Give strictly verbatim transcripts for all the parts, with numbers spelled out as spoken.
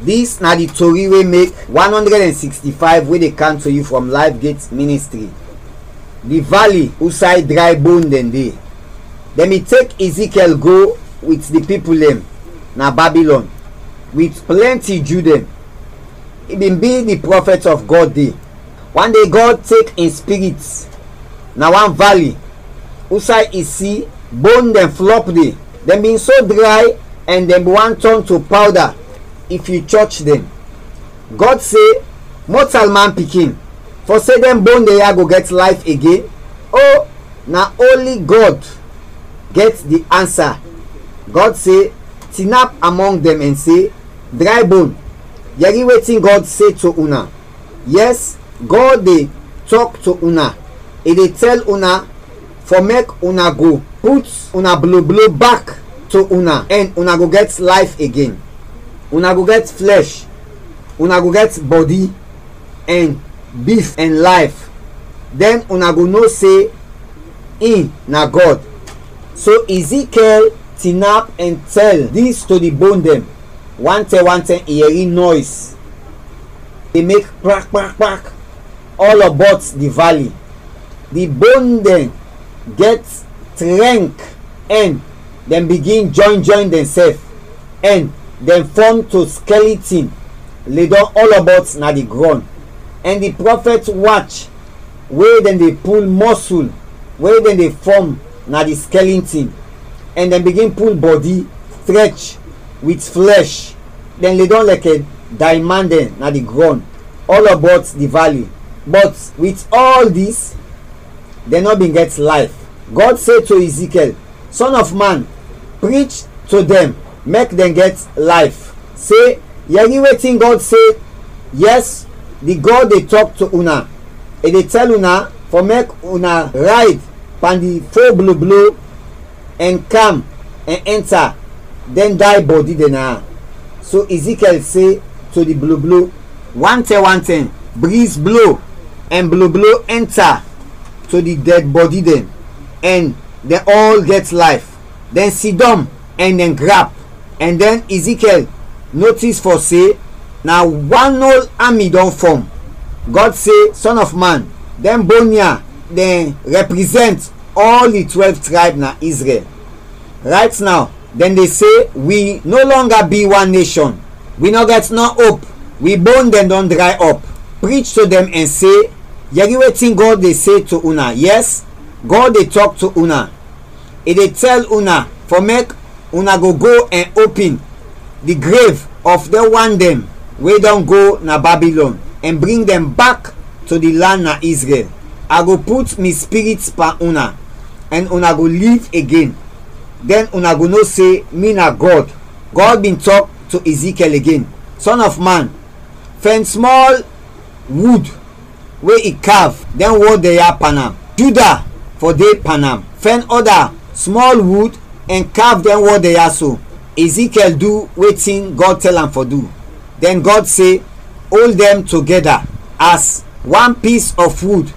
Dis na di tori wey make one hundred and sixty-five wey dey come to you from Life Gate Ministry. Di valley usay dray bone dɛn de. Dɛn bin tek Ezekiel go wit di pipul dɛn na Babilɔn, wit plɛnti Ju dɛn. I bin bi di prɔfɛt of Gɔd de. Wan de Gɔd tek in spirit na wan valley usay i si bone dɛn flɔp de. Dɛn bin so dray ɛn dɛn bin want tɔn to pawda if yu chɔch dɛn. Gɔd se, mɔtalman pikin, fɔ se dɛn bone dɛn ya go gɛt layf igen? O, na onli Gɔd gɛt di ansa. Gɔd se, tinap amɔng dɛn ɛn se, dray bone, yɛri wetin Gɔd se to una. Yɛs, Gɔd de tɔk to una, i de tɛl una fɔ mek una go put una bloblo bak to una ɛn una go gɛt layf igen. Una go gɛt flɛsh, una go gɛt bɔdi ɛn bif ɛn layf, dɛn una go no se in na Gɔd. So Ezekiel tinap ɛn tɛl dis to di bone dɛn. Wantɛn wantɛn i yɛri nɔys de mek kpak kpak kpak ɔlɔbɔt di vali. Di bon dɛn gɛt trɛnk ɛn dɛn bigin jɔyn jɔyn dɛnsɛf ɛn dɛn fɔm to skɛlitin ledɔm ɔlɔbɔt na di grɔn. Ɛn di prɔfɛt wach we dɛn de pul mɔsul we dɛn de fɔm na di skɛlintin, ɛn dɛn bigin pul bɔdi, strɛch wit flɛsh, dɛn ledɔm lɛkɛ dayman dɛn na di grɔn ɔlɔbɔt di vali. Bɔt wit ɔl dis, dɛn nɔ bin gɛt layf. Gɔd se to Ezekiɛl, Sɔn of man, prich to dɛn, mek dɛn gɛt layf. Se, yɛri wetin Gɔd se, yɛs, di Gɔd de tɔk to una, i de tɛl una fɔ mek una rayd pan di fo bloblo ɛn kam ɛn ɛnta dɛn day bɔdi dɛn na. So Ezekiɛl se to di bloblo, wantɛn wantɛn briz blo ɛn bloblo ɛnta to di dɛd bɔdi dɛn, ɛn dɛn ɔl gɛt layf. Dɛn sidɔm ɛn dɛn grap. Ɛn dɛn Ezekiɛl notis fɔ se na wan ol ami dɔn fɔm. Gɔd se, Sɔn of man, dɛn bon ya dɛn rɛprizɛnt ɔl di twɛlv trayb na Izrɛl. Rayt naw, dɛn de se, wi no lɔnga bi wan neshɔn. Wi nɔ gɛt nɔ op. Wi bon dɛn dɔn dray ɔp. Prich to dɛn ɛn se, yɛri wetin Gɔd de se to una. Yɛs, Gɔd de tɔk to una. I de tɛl una fɔ mek una go go ɛn opin di grev of dɛn wan dɛn we dɔn go na Babilɔn ɛn bring dɛn bak to di lan na Izrɛl. A go put mi Spirit pan una, ɛn una go liv igen. Dɛn una go no se mi na Gɔd. Gɔd bin tɔk to Ezekiɛl igen, Sɔn of man, fɛn smɔl wud we i kav dɛn wɔd dɛn ya pan am. Juda fɔ de pan am. Fɛn ɔda smɔl wud ɛn kav dɛn wɔd dɛn ya so. Ezekiɛl du wetin Gɔd tɛl am fɔ du. Dɛn Gɔd se, Ol dɛn togɛda as wan pis of wud,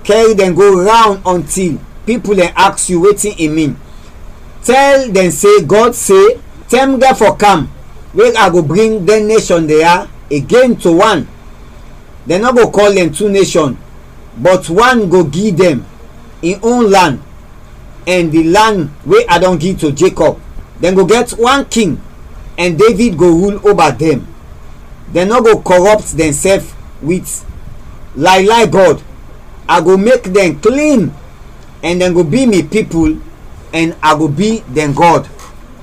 kɛri dɛn go rawn ɔntil pipul dɛn aks yu wetin i min. Tɛl dɛn se Gɔd se, tɛm gɛt fɔ kam we a go bring dɛn neshɔn dɛn ya igen to wan. Dɛn nɔ go kɔl dɛn tu neshɔn, bɔt wan go gi dɛn in on lan ɛn di lan we a dɔn gi to Jekɔb. Dɛn go gɛt wan king, ɛn Devid go rul oba dɛn. Dɛn nɔ go kɔrɔpt dɛnsɛf wit laylay gɔd. A go mek dɛn klin, ɛn dɛn go bi mi pipul, ɛn a go bi dɛn Gɔd.